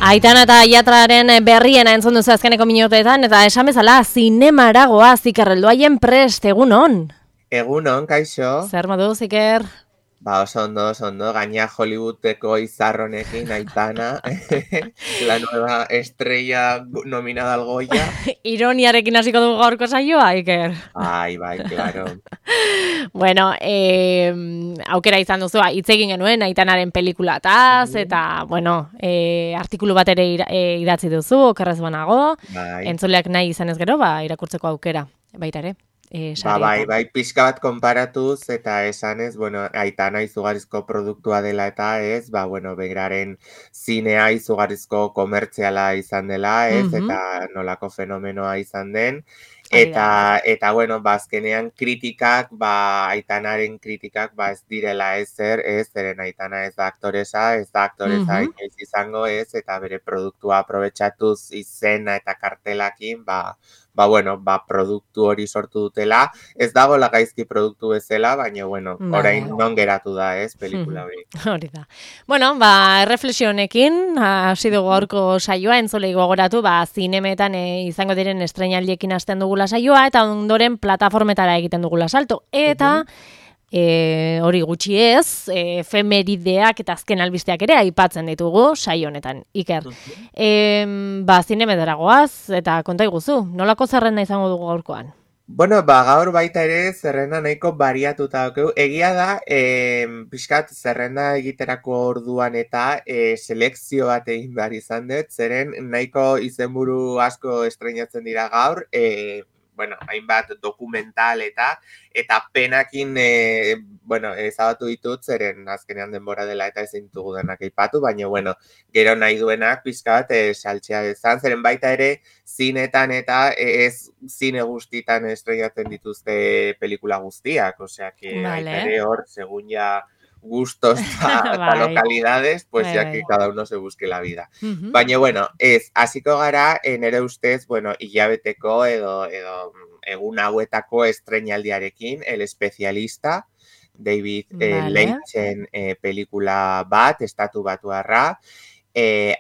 Aitana eta Iatraren berriena entzun duzu azkeneko minutetan, eta esan bezala, zinemara goaz, Iker, helduaien prest, egunon? Egunon, kaixo. Zer moduz, Iker? Ba, oso ondo, gaina Hollywoodeko izarronekin, Aitana, la nueva estrella nominada al Goya. Ironiarekin hasiko dugu gaurko saioa, Iker? Bai, claro. Bueno, aukera izan duzu, hitz egin genuen Aitanaren pelikulataz, eta, bueno, artikulu bat ere idatzi duzu, okerrez banago, Bai. entzuleak nahi izan ez gero, irakurtzeko aukera, baita ere. Bai, pixka bat konparatuz eta esanez, bueno, Aitana izugarrizko produktua dela eta ez, bueno, beraren zinea izugarrizko komertziala izan dela, ez, eta nolako fenomenoa izan den, eta bueno, azkenean kritikak, Aitanaren kritikak, ez direla zeren Aitana ez da aktoresa inoiz izango ez, eta bere produktua aprobetxatuz izena eta kartelakin, bueno, produktu hori sortu dutela, ez dago gaizki produktu bezala, baina, bueno, orain non geratu da, pelikula hori. Hori da. Bueno, erreflexio honekin, hasi dugu gaurko saioa, entzulei gogoratu, zinemetan izango diren estreinaldiekin hasten dugula saioa, eta ondoren plataformetara egiten dugula salto. Eta, hori gutxi ez, efemerideak eta azken albisteak ere aipatzen ditugu saio honetan, Iker. Zinemetara goaz, eta konta iguzu, nolako zerrenda izango dugu gaurkoan? Bueno, gaur baita ere zerrenda nahiko bariatuta daukeu. Egia da, pixkat zerrenda egiterako orduan eta selekzio bat egin behar izan dut, zeren nahiko izenburu asko estreinatzen dira gaur, bueno, hainbat dokumental eta penakin, bueno, ezabatu ditut, zeren azkenean denbora dela eta ezin dugu denak aipatu, baina, bueno, gero nahi duenak pixka bat saltzea dezan, zeren baita ere zinetan eta ez zine guztitan estreinatzen dituzte pelikula guztiak, osea, baita ere hor, segun ja gustos eta localidades, pues ya que cada uno se busque la vida. Baina, bueno, hasiko gara, nere ustez, bueno, hilabeteko edo egun hauetako estreinaldiarekin, El Especialista, David Leitchen pelikula bat, estatu batuarra,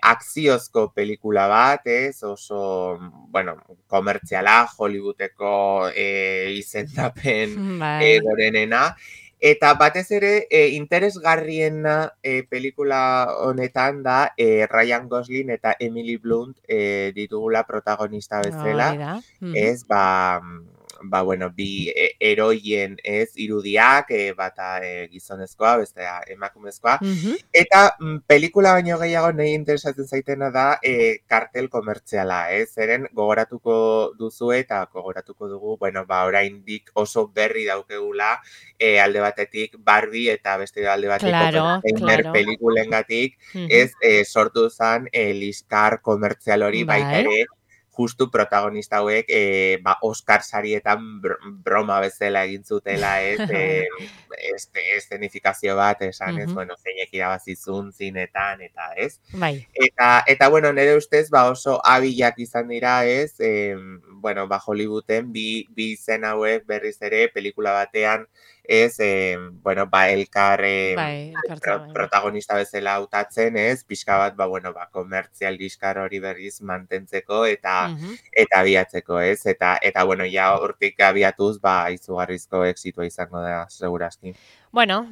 akziozko pelikula bat, oso, bueno, komertziala, Hollywoodeko izendapen gorenena, eta batez ere, interesgarriena pelikula honetan da Ryan Gosling eta Emily Blunt ditugula protagonista bezala. Ez, bueno, bi heroien irudiak, bata gizonezkoa, bestea emakumezkoa. Eta pelikula baino gehiago nahi interesatzen zaitena da kartel komertziala, zeren gogoratuko duzu eta gogoratuko dugu, bueno, oraindik oso berri daukegula, alde batetik Barbie eta beste alde batetik pelikulengatik, sortu zen liskar komertzial hori baita ere, justu protagonista hauek Oscar sarietan broma bezala egin zutela, eszenifikazio bat, esan, bueno, zeinek irabazizun zinetan, eta ez. Eta, bueno, nire ustez, oso abilak izan dira, bueno, Hollywooden bi izen hauek berriz ere pelikula batean, bueno, elkar protagonista bezala hautatzen, pixka bat, bueno, komertzial liskar hori berriz mantentzeko eta abiatzeko, eta, bueno, ja hortik abiatuz, izugarrizko exitua izango da, segurazki. Bueno,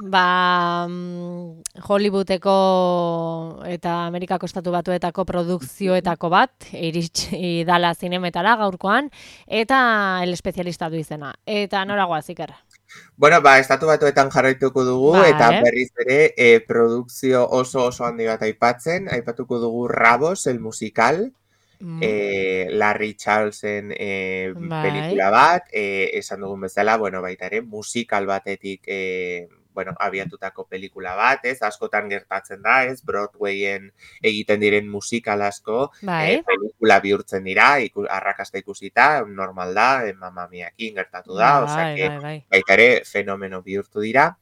Hollywoodeko eta Amerikako estatu batuetako produkzioetako bat, iritsi dala zinemetara gaurkoan, eta El Especialista du izena. Eta noragoaz, Iker? Bueno, estatu batuetan jarraituko dugu, eta berriz ere produkzio oso handi bat aipatuko dugu Rabos, el musical, Larry Charlesen pelikula bat, esan dugun bezala, bueno, baita ere, musikal batetik, bueno, abiatutako pelikula bat, askotan gertatzen da, Broadwayen egiten diren musikal asko, pelikula bihurtzen dira, arrakasta ikusita, normal da, Mamma Miakin gertatu da, osea, baita ere, fenomeno bihurtu dira.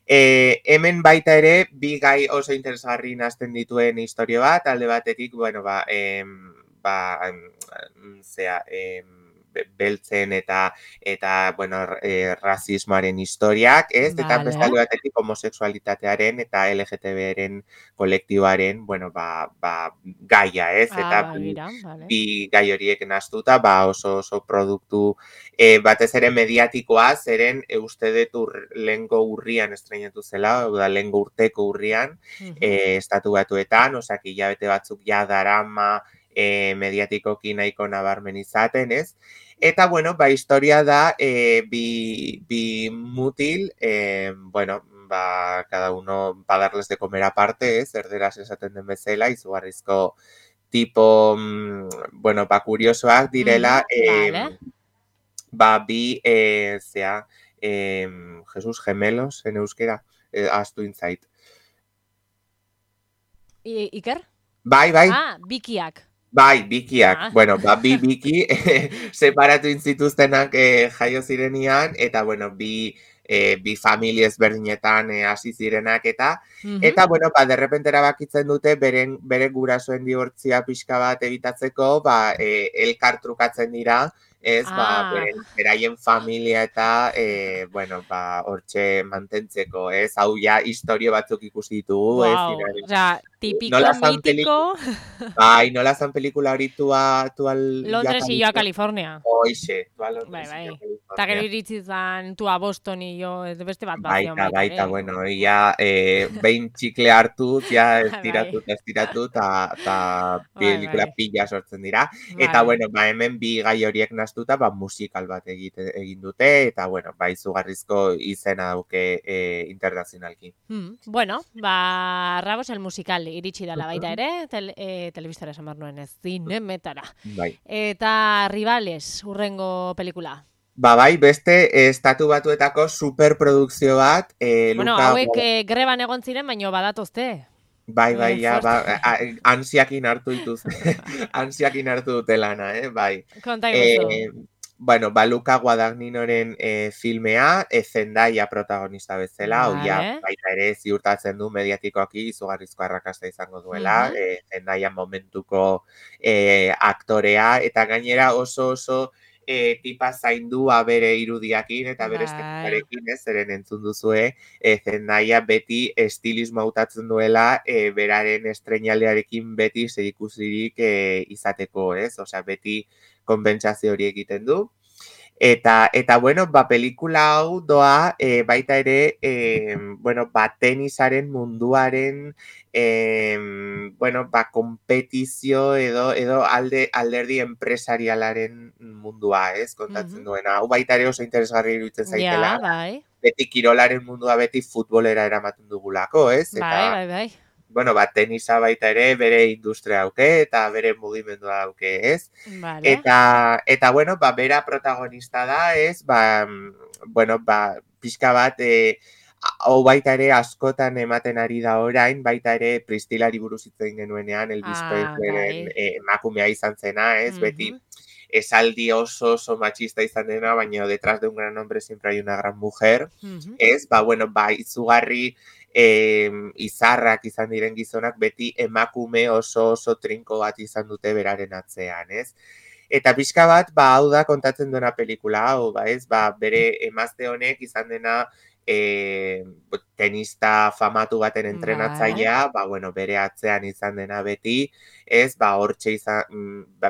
Hemen baita ere, bi gai oso interesgarri nazten dituen historio bat, alde batetik, bueno, beltzen eta bueno, rasismoaren historiak, ez? Eta Vale. beste alde batetik homosexualitatearen eta LGTB-ren kolektiboaren, bueno, gaia, ez? Eta Begira, vale. bi gai horiek nahastuta, oso produktu batez ere mediatikoa, zeren uste dut lehengo urrian estrenatu zela, lehengo urteko urrian, estatu batuetan, osak hilabete batzuk ja darama mediatikoki nahiko nabarmen izaten, ez? Eta, bueno, historia da bi mutil, bueno, cada uno va darles de comer aparte, ez? Erderaz esaten den bezala, izugarrizko tipo, bueno, kuriosoak direla, vale. bi, Jesus gemelos, en euskera, ahaztu intzait. Iker? Bai. Bikiak. Bikiak. Bueno, bi biki separatu intzituztenak jaio zirenian, eta, bueno, bi familia ezberdinetan hasi zirenak eta, bueno, derrepentera bakitzen dute bere gurasoen dibortzia pixka bat ebitatzeko, elkar trukatzen dira, ez, beraien familia eta, bueno, hortxe mantentzeko, ez, hau ja historio batzuk ikusi ditugu, ez, osea, tipiko, mitiko. Nola zan pelikula hori tua Londres y yo a California. Oixe, tua Londres y yo a California. Eta gero iritsi zan tua Boston y yo, ez beste bat baita, bueno, ia behin txikle hartuz, ja estiratu, eta pelikula pila sortzen dira. Eta, bueno, hemen bi gai horiek nahastuta, musikal bat egin dute, eta, bueno, izugarrizko izena dauke internazionalki. Bueno, Rabos el musical iritsi dela baita ere, telebistara esan behar nuen ez, zinemetara. Eta Rivales, urrengo pelikula. Beste estatu batuetako superprodukzio bat. Bueno, hauek greban egon ziren, baino badatozte. Ansiakin hartu dituz. Ansiakin hartu dute lana, bai. Konta iguzu. Bueno, Luka Guadagninoren filmea, Zendaya protagonista bezala, baita ere ziurtatzen du mediatikoaki izugarrizko arrakasta izango duela, Zendaya momentuko aktorea, eta gainera oso tipa zaindua bere irudiakin eta bere estetarekin, zeren entzun duzue, Zendaya beti estilismo hautatzen duela beraren estreinaldearekin beti zerikusirik izateko, ez? Osea, beti konpentsazio hori egiten du. Eta bueno, pelikula hau doa baita ere, bueno, tenisaren munduaren, bueno, konpetizio edo alderdi enpresarialaren mundua, ez, kontatzen duena. Hau baita ere oso interesgarri iruditzen zaitela. Beti kirolaren mundua beti futbolera eramaten dugulako, ez? Bai. Bueno, tenisa baita ere bere industria dauke eta bere mugimendua dauke, ez? Eta bueno, bera protagonista da, ez? Bueno, pixka bat, hau baita ere askotan ematen ari da orain, baita ere Pristilari buruz hitz egin genuenean, Elvis Presleyren emakumea izan zena, ez? Beti esaldi oso machista izan dena, baina detrás de un gran hombre siempre hay una gran mujer, ez? Bueno, izugarri izarrak izan diren gizonak beti emakume oso trinko bat izan dute beraren atzean, ez? Eta pixka bat, hau da kontatzen duena pelikula hau, ez? Bere emazte honek izan dena tenista famatu baten entrenatzailea, bueno, bere atzean izan dena beti, ez? Hortxe izan,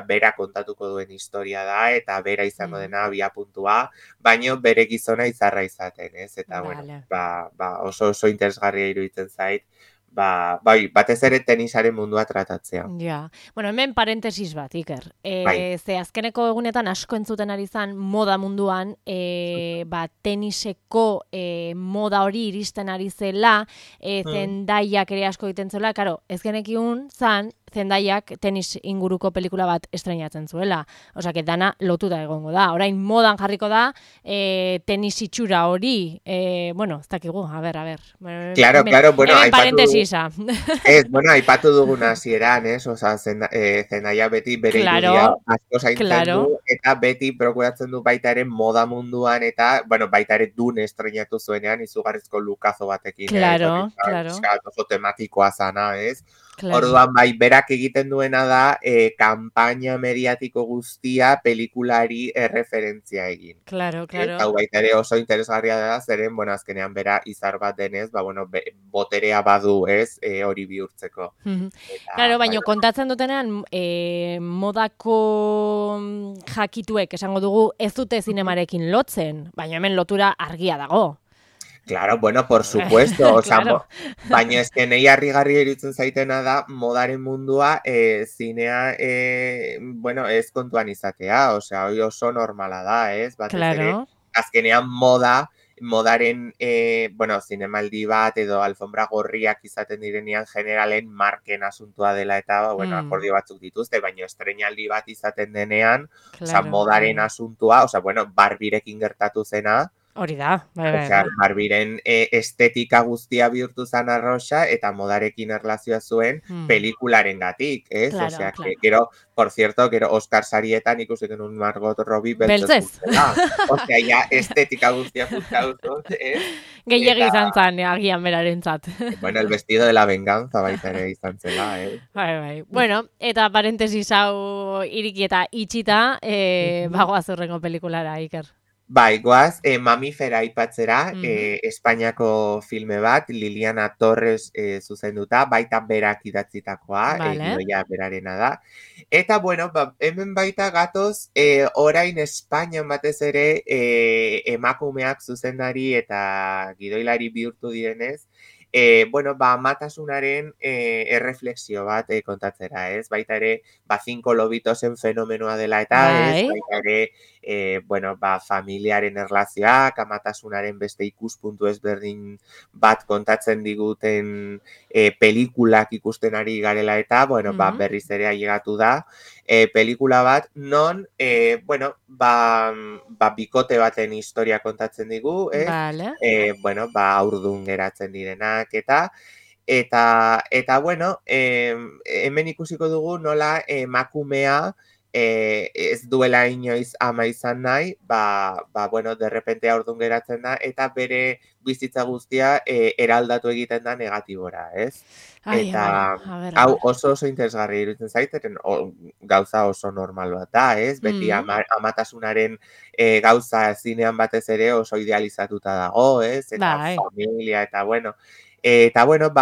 bera kontatuko duen historia da, eta bera izango dena biapuntua, baino bere gizona izarra izaten, ez? Eta, bueno, oso interesgarria iruditzen zait, batez ere tenisaren mundua tratatzea. Ja, bueno, hemen parentesis bat, Iker. Ze azkeneko egunetan asko entzuten ari zan moda munduan, teniseko moda hori iristen ari zela, Zendaiak ere asko egiten zuela, karo, ez genekiun zan, Zendaiak tenis inguruko pelikula bat estreinatzen zuela. Osea, dana lotuta egongo da. Orain modan jarriko da tenis itxura hori. Bueno, ez dakigu, a ber. Claro, bueno, parentesisa. Bueno, aipatu duguna hasieran, ez? Osea, Zendaya beti bere irudia asko zaintzen du, eta beti prokuratzen du baita ere moda munduan, eta, bueno, baita ere Dune estreinatu zuenean izugarrizko lukazo batekin. Claro. Oso tematikoa zana, ez? Orduan, berak berak egiten duena da kanpaina mediatiko guztia pelikulari erreferentzia egin. Claro, claro. Eta baita ere oso interesgarria da, zeren, bueno, azkenean bera izar bat denez, ba, bueno, boterea badu, ez, hori bihurtzeko. Claro, baina kontatzen dutenean, modako jakituek esango dugu ez dute zinemarekin lotzen, baina hemen lotura argia dago. Claro, bueno, por supuesto, Claro. baina ezken nahi harrigarri eritzen zaitena da, modaren mundua zinea, bueno, ez kontuan izatea, osea, hori oso normala da, ez? Batez ere, Claro. azkenean modaren, bueno, zinemaldi bat edo alfombra gorriak izaten direnean generalen marken asuntua dela eta, bueno, akordio batzuk dituzte, baina estreinaldi bat izaten denean, osea, Claro. modaren asuntua, osea, bueno, Barbirekin gertatu zena, Hori da, bai. osea, Barbiren estetika guztia bihurtu zen arroxa eta modarekin erlazioa zuen pelikularen gatik, ez? Claro, Osea, claro. gero, por cierto, gero Oscar sarietan ikusten un Margot Robbie beltzez. Osea, ja, estetika guztia funtzautuz, ez? Gehiegi izan zan, agian berarentzat. Bueno, el vestido de la venganza baita ere izan zela, Bai. Bueno, eta parentesis hau iriki eta itxita, bagoaz urrengo pelikulara, Iker. Bai, goaz, Mamifera aipatzera, Espainiako filme bat, Liliana Torres zuzenduta, baita berak idatzitakoa, gidoia berarena da. Eta, bueno, hemen baita gatoz, orain Espainian batez ere emakumeak zuzendari eta gidoilari bihurtu direnez, bueno, amatasunaren erreflexio bat kontatzera, ez? Baita ere, 5 lobitosen fenomenoa dela eta, ez? Baita ere, bueno, familiaren erlazioak, amatasunaren beste ikuspuntu ezberdin bat kontatzen diguten pelikulak ikusten ari garela eta, bueno, berriz ere ailegatu da, pelikula bat, non, bueno, bikote baten historia kontatzen digu, ez? Bueno, haurdun geratzen direnak eta bueno, hemen ikusiko dugu nola emakumea ez duela inoiz ama izan nahi, bueno, derrepente haurdun geratzen da, eta bere bizitza guztia eraldatu egiten da negatibora, ez? Eta hau oso interesgarri iruditzen zaiteren, gauza oso normal bat da, ez? Beti amatasunaren gauza zinean batez ere oso idealizatuta dago, ez? Eta familia, eta bueno,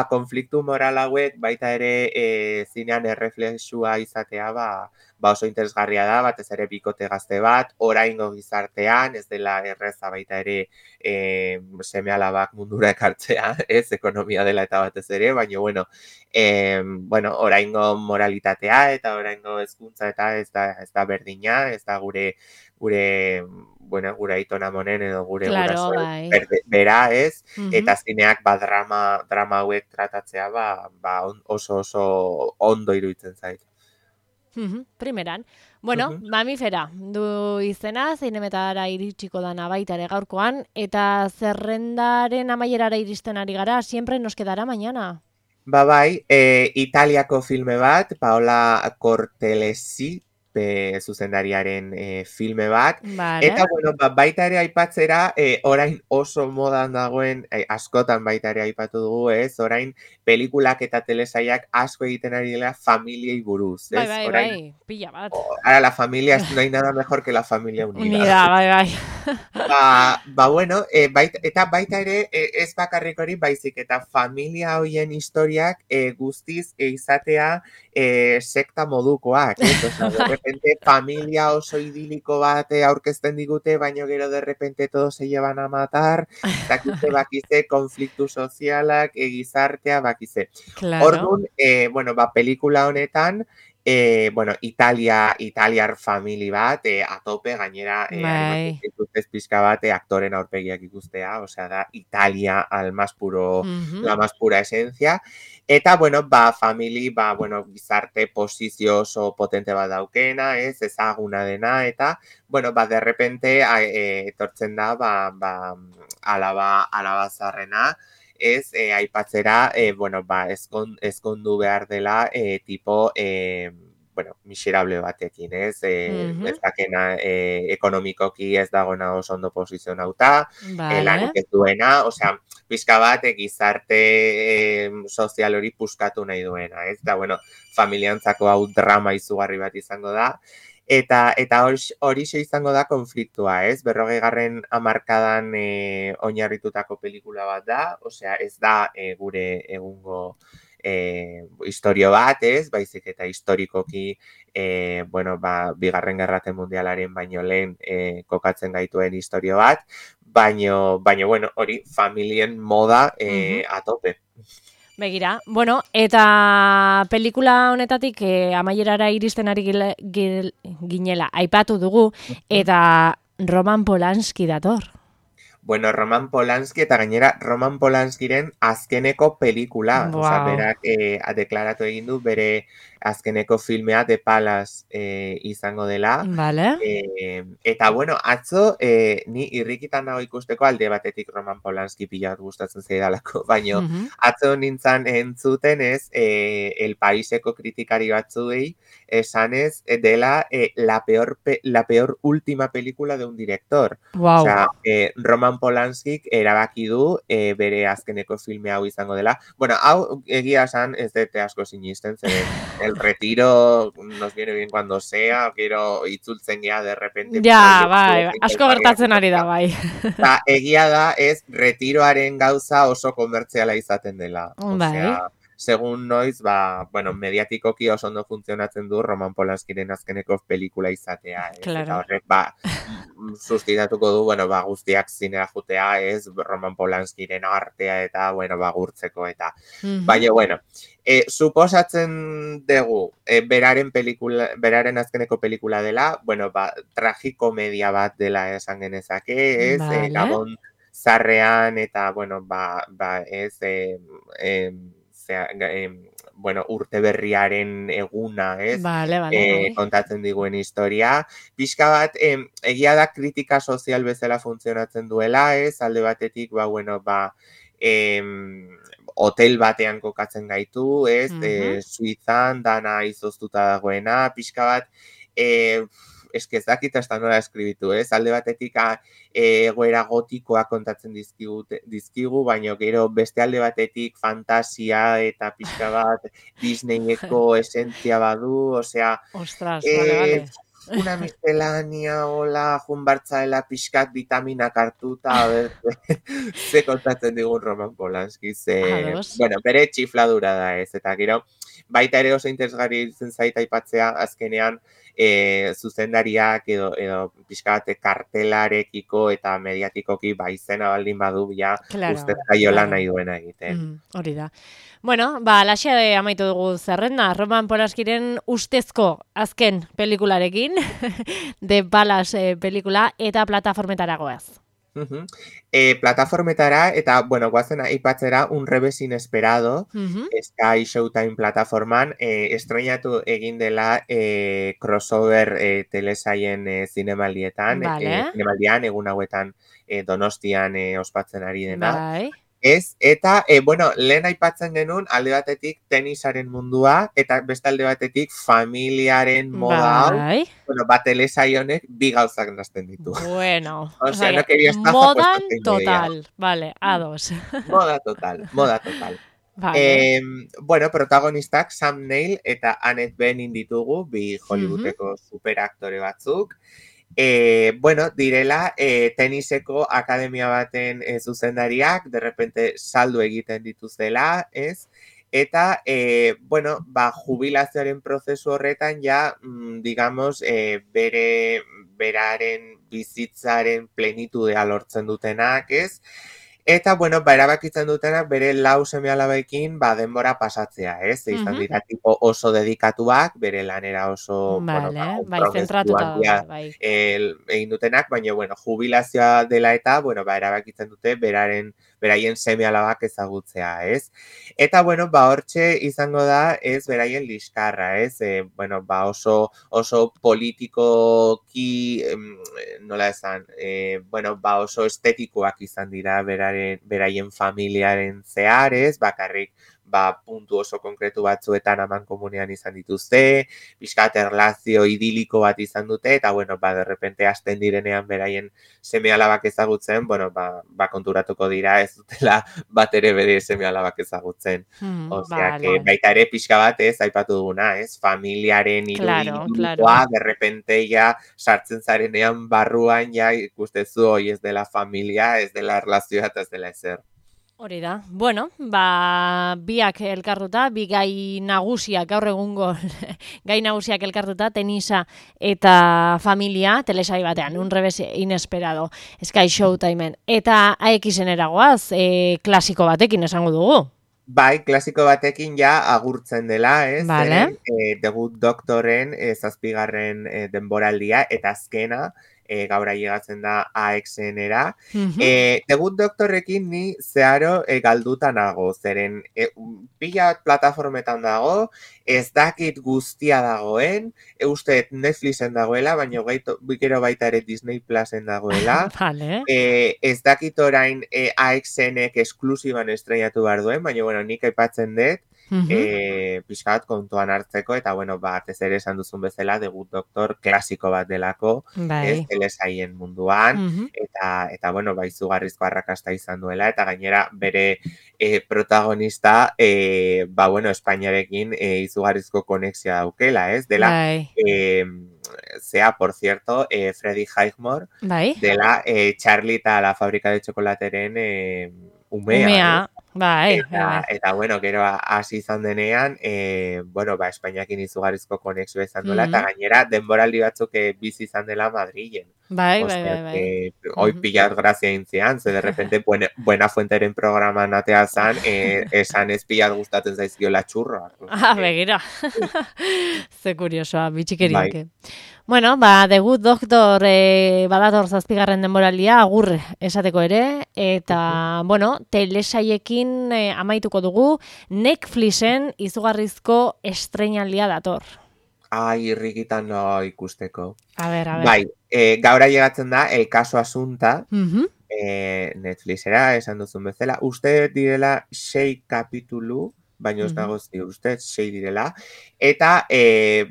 konfliktu moral hauek baita ere zinean erreflexua izatea, oso interesgarria da, batez ere bikote gazte bat, oraingo gizartean, ez dela erreza baita ere seme-alabak mundura ekartzea, ez, ekonomia dela eta batez ere, baina, bueno, oraingo moralitatea eta oraingo hezkuntza eta ez da berdina, ez da gure aitona monen edo gure gurasoen bera, ez? Eta zineak drama hauek tratatzea oso ondo iruditzen zait. Primeran. Bueno, Mamifera du izena, zinemetara iritsiko dana baita ere gaurkoan, eta zerrendaren amaierara iristen ari gara, siempre nos quedará mañana. Bai, Italiako filme bat, Paola Cortellesi, zuzendariaren filme bat. Eta, bueno, baita ere aipatzera, orain oso modan dagoen, askotan baita ere aipatu dugu, ez? Orain pelikulak eta telesaiak asko egiten ari dela familiei buruz, ez? Bai, pila bat. Ara, la familia, no hay nada mejor que la familia unida. Unida, bai. Bueno, eta baita ere, ez bakarrik hori, baizik, eta familia hoien historiak guztiz izatea sekta modukoak, ez? Osa, derrepente, familia oso idiliko bat aurkezten digute, baino gero derrepente todos se llevan a matar, bakize, konfliktu sozialak, gizartea, bakize. Orduan, bueno, pelikula honetan, bueno, italiar famili bat, atope, gainera, dituztez pixka bat, aktoren aurpegiak ikustea, osea da, Italia al más puro, la más pura esencia, eta, bueno, famili, bueno, gizarte posizio oso potente bat daukena, ez, ezaguna dena, eta, bueno, derrepente, etortzen da, alaba zarrena, ez, aipatzera, bueno, ezkondu behar dela, tipo, bueno, miserable batekin, ez, ez dakena ekonomikoki ez dagona oso ondo posizionauta, lanik ez duena, osea, pixka bat sozial hori puskatu nahi duena, ez? Eta, bueno, familiantzako hau drama izugarri bat izango da. Eta hori izango da konfliktua, ez? 40. hamarkadan oinarritutako pelikula bat da, osea, ez da gure egungo historio bat, ez? Baizik eta historikoki bueno, Bigarren Gerra Mundialaren baino lehen kokatzen gaituen historio bat, baino bueno, hori familien moda atope. Begira, bueno, eta pelikula honetatik amaierara iristen ari ginela aipatu dugu, eta Roman Polanski dator. Bueno, Roman Polanski eta gainera Roman Polanskiren azkeneko pelikula. Wow. Osa, berak deklaratu egin du bere azkeneko filmea The Palace izango dela. Vale. Eta, bueno, atzo ni irrikitan nago ikusteko alde batetik Roman Polanski pila gustatzen zaidalako, baino atzo nintzen entzuten ez El Paiseko kritikari batzuei esanez dela la peor última película de un director. Wow. Osea, Roman Polanskik erabaki du bere azkeneko filme hau izango dela. Bueno, hau egia esan ez dute asko sinisten, zeren el retiro nos viene bien cuando sea, quiero itzultzen gea de repente. Ja, bai, asko gertatzen ari da, bai. Eta egia da ez retiroaren gauza oso komertziala izaten dela. Osea, segun noiz, bueno, mediatikoki oso ondo funtzionatzen du Roman Polanskiren azkeneko pelikula izatea. Claro. Eta horrek, sustituituko du, bueno, guztiak zinera jutea, ez, Roman Polanskiren artea eta, bueno, gurtzeko eta. Baina, bueno, suposatzen dugu, beraren azkeneko pelikula dela, bueno, tragikomedia bat dela esan genezake, ez, Gabon zarrean eta, bueno, ez, bueno, urte berriaren eguna, ez? Kontatzen diguen historia. Pixka bat, egia da kritika sozial bezala funtzionatzen duela, ez? Alde batetik, bueno, hotel batean kokatzen gaitu, ez? Suizan, dana izoztuta dagoena, pixka bat, ez dakit hasta nola eskribitu, ez? Alde batetik egoera gotikoa kontatzen dizkigu, baina gero beste alde batetik fantasia eta pixka bat Disneyeko esentzia badu, osea... Ostras, vale. Una miscelánea, hola, junbartzaela pixkat vitaminak hartuta, ze kontatzen digun Roman Polanski, bueno, bere txifladura da ez, eta gero, baita ere oso interesgarri zen zaita aipatzea azkenean zuzendariak edo pixkat kartelarekiko eta mediatikoki izena baldin badu ja uste jaiola nahi duena egiten. Hori da. Bueno, laxea amaitu dugu zerrenda, Roman Polanskiren ustezko azken pelikularekin, The Palace pelikula, eta plataformetara goaz. Plataformetara, eta, bueno, guazen aipatzera Un Revés Inesperado, Sky Showtime plataforman, estrenatu egin dela crossover telesaien zinemaldian, egun hauetan Donostian ospatzen ari dena. Ez, eta, bueno, lehen aipatzen genuen alde batetik tenisaren mundua, eta beste alde batetik familiaren moda hau, bueno, telesaionek bi gauzak nazten ditu. Bueno, osea, no quería estar modan total, vale, ados. Moda total. Vale. Bueno, protagonistak Sam Neill eta Annette Bening ditugu, bi Hollywoodeko superaktore batzuk. Bueno, direla teniseko akademia baten zuzendariak, de repente saldu egiten dituzela, ez? Eta, bueno, jubilazioaren prozesu horretan ja, digamos, beraren bizitzaren plenitudea lortzen dutenak, ez? Eta, bueno, erabakitzen dutenak bere lau seme-alabekin denbora pasatzea, ez? Izan dira tipo oso dedikatuak, bere lanera oso, zentratuta egin dutenak, baina, bueno, jubilazioa dela eta, bueno, erabakitzen dute beraien seme-alabak ezagutzea, ez? Eta, bueno, hortxe izango da, ez, beraien liskarra, ez? Bueno, oso politikoki, nola esan, bueno, oso estetikoak izan dira beraien familiaren zehar, ez? Bakarrik, puntu oso konkretu batzuetan aman komunean izan dituzte, pixkat erlazio idiliko bat izan dute, eta, bueno, de repente hasten direnean beraien seme-alabak ezagutzen, bueno, konturatuko dira ez dutela bat ere bere seme-alabak ezagutzen. Osea, que baita ere pixka bat aipatu duguna, familiaren irudi idilikoa, de repente ja sartzen zarenean barruan ja ikustezu hoi ez dela familia, ez dela erlazioa eta ez dela ezer. Hori da. Bueno, biak elkartuta, bi gai nagusiak, gaur egungo gai nagusiak elkartuta, tenisa eta familia, telesai batean, un revés inesperado, Sky Showtimeen. Eta AXN eragoaz, klasiko batekin esango dugu. Bai, klasiko batekin ja agurtzen dela, ez? Vale. The Good Doctoren zazpigarren denboraldia, eta azkena, gaur ailegatzen da AXN-era. The Good Doctorrekin ni zeharo galduta nago, zeren pila plataformetan dago, ez dakit guztia dagoen, uste Netflixen dagoela, baina gero baita ere Disney Plusen dagoela. Vale. Ez dakit orain AXN-ek esklusiban estrenatu behar duen, baina, bueno, nik aipatzen dut, pixkat kontuan hartzeko, eta, bueno, batez ere esan duzun bezala, The Good Doctor klasiko bat delako, telesaien munduan, eta, bueno, izugarrizko arrakasta izan duela, eta gainera bere protagonista, bueno, Espainiarekin izugarrizko konexioa daukela, ez? Dela, por cierto, Freddie Highmore, dela Charlie eta la fábrica de chocolateren umea. Eta, bueno, gero hasi izan denean, bueno, Espainiakin izugarrizko konexioa izan duela, eta gainera denboraldi batzuk bizi izan dela Madrilen. Bai. Hoi pilat grazia intzian, ze de repente Buena Fuenteren programan atea zan, esan ez pilat gustatzen zaizkiola txurroa. Begira. Ze kuriosoa, bitxikeriak. Bueno, The Good Doctor badator zazpigarren denboraldia, agur esateko ere, eta, bueno, telesaiekin amaituko dugu, Netflixen izugarrizko estreinaldia dator. Ai, irrikitan ikusteko. A ber. Bai, gaur ailegatzen da, El caso Asunta, Netflixera, esan duzun bezala, uste direla 6 kapitulu, baina ez dago ziur, uste 6 direla, eta,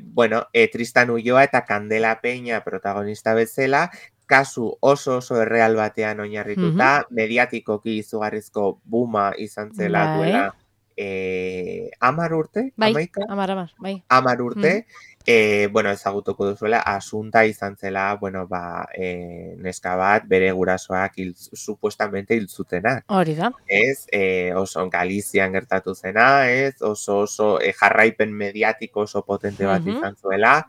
bueno, Tristan Ulloa eta Candela Peña protagonista bezala, kasu oso erreal batean oinarrituta, mediatikoki izugarrizko buma izan zela duela 10 urte? Bai, 10 urte, bueno, ezagutuko duzuela, Asunta izan zela, bueno, neska bat, bere gurasoak supuestamente hiltzutenak. Hori da. Ez, oso Galizian gertatu zena, ez, oso jarraipen mediatiko oso potente bat izan zuela.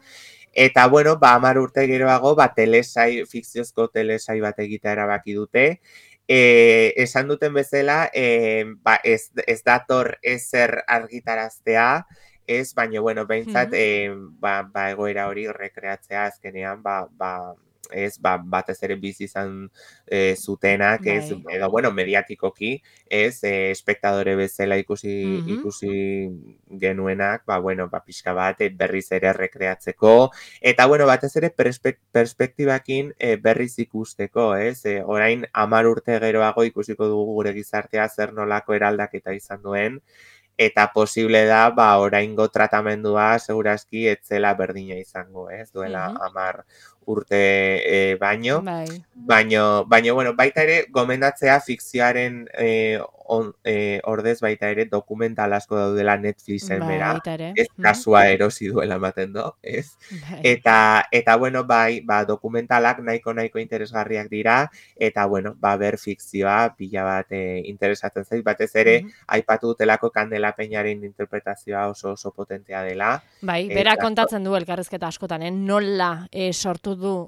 Eta, bueno, 10 urte geroago, telesai, fikziozko telesai bat egitea erabaki dute. Esan duten bezala, ez dator ezer argitaraztea, ez, baina, bueno, behintzat, egoera hori rekreatzea azkenean, ez, batez ere bizi izan zutenak, ez, edo, bueno, mediatikoki, ez, espektadore bezala ikusi genuenak, bueno, pixka bat, berriz ere rekreatzeko, eta, bueno, batez ere perspektibakin berriz ikusteko, ez, orain 10 urte geroago ikusiko dugu gure gizartea zer nolako eraldaketa izan duen, eta posible da, oraingo tratamendua segurazki etzela berdina izango, ez, duela 10 urte baino. Baino, bueno, baita ere, gomendatzea fikzioaren ordez baita ere dokumental asko daudela Netflixen bera, ez kasua erosi duela ematen do, ez? Eta, bueno, dokumentalak nahiko interesgarriak dira, eta, bueno, ber fikzioa pila bat interesatzen zait, batez ere, aipatu dutelako Candela Peñaren interpretazioa oso potentea dela. Bai, bera kontatzen du elkarrizketa askotan, nola sortu du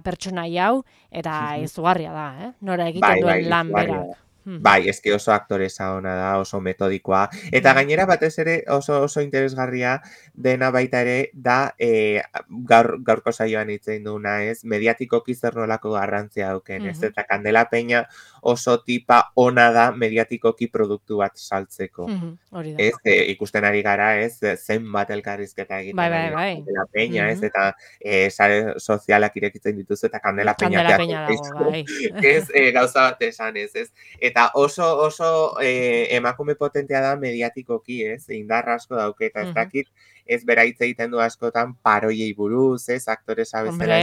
pertsonai hau, eta izugarria da, nora egiten duen lan bera. Bai, eski oso aktoresa ona da, oso metodikoa. Eta gainera batez ere oso interesgarria dena baita ere da gaurko saioan hitzein duna, ez, mediatikoki zer nolako garrantzia duken, ez, eta Candela Peña oso tipa ona da mediatikoki produktu bat saltzeko. Ez, ikusten ari gara, ez, zenbat elkarrizketa egiten Candela Peña, ez, eta sare sozialak irekitzen dituzu, eta Candela Peña dago, bai. Ez, gauza bat esan, ez, eta oso emakume potentea da mediatikoki, ez? Indarra asko dauke, eta ez dakit, ez bera hitz egiten du askotan paroiei buruz, ez? Aktoresa bezala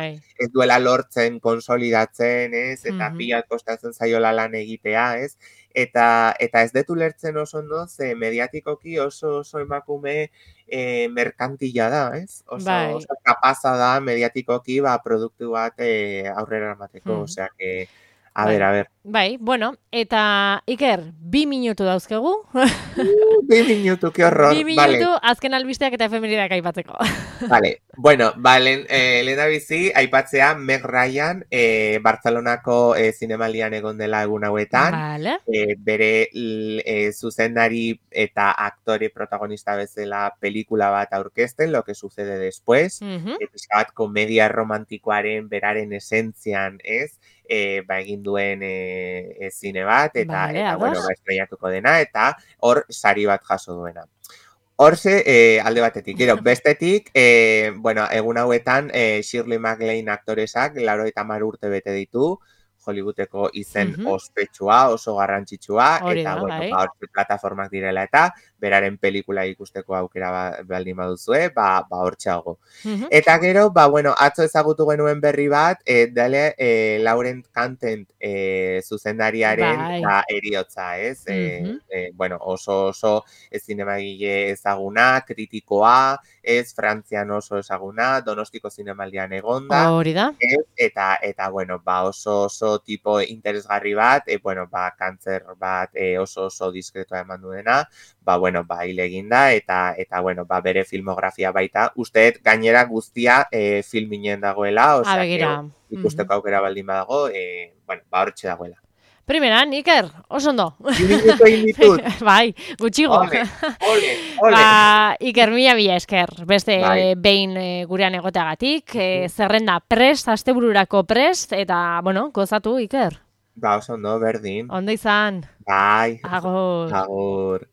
ez duela lortzen, konsolidatzen, ez? Eta pilat kostatzen zaiola lan egitea, ez? Eta ez detu lertzen oso ondo, ze mediatikoki oso emakume merkantila da, ez? Oso kapaza da mediatikoki produktu bat aurrera emateko, osea que a ver. Bai, bueno, eta Iker, 2 minutu dauzkegu. 2 minutu, que horror. 2 minutu, azken albisteak eta efemeridak aipatzeko. Vale, bueno, lehena bizi, aipatzea Meg Ryan, Barcelonako zinemaldian egon dela egun hauetan. Bere zuzendari eta aktore protagonista bezala pelikula bat aurkezten, Lo que sucede después. Bat komedia romantikoaren beraren esentzian, ez? Egin duen zine bat, eta bueno, estrellatuko dena, eta hor sari bat jaso duena. Horze, alde batetik, gero, bestetik, bueno, egun hauetan, Shirley MacLaine aktoresak, 80 urte bete ditu, Hollywoodeko izen ospetsua, oso garrantzitsua, eta, bueno, hortze plataformak direla, eta beraren pelikula ikusteko aukera baldin baduzue, hortxeago. Eta gero, bueno, atzo ezagutu genuen berri bat, dale Laurent Cantent zuzendariaren eriotza, ez? Bueno, oso zinemagile ezaguna, kritikoa, ez Frantzian oso ezaguna, Donostiko zinemaldian egonda. Hori da. Eta, bueno, oso tipo interesgarri bat, bueno, kantzer bat oso diskretoa eman duena, bueno, hil eginda, eta bueno, bere filmografia baita. Usteet gainera guztia filminen dagoela, osea, ikusteko aukera baldin badago, bueno, hortxe dagoela. Primeran, Iker, oso ondo. Minuto inditut. Bai, gutxigo. Ole. Iker, mila esker. Beste behin gurean egoteagatik. Zerrenda prest, astebururako prest, eta, bueno, gozatu, Iker. Oso ondo, berdin. Ondo izan. Bai. Agur. Agur.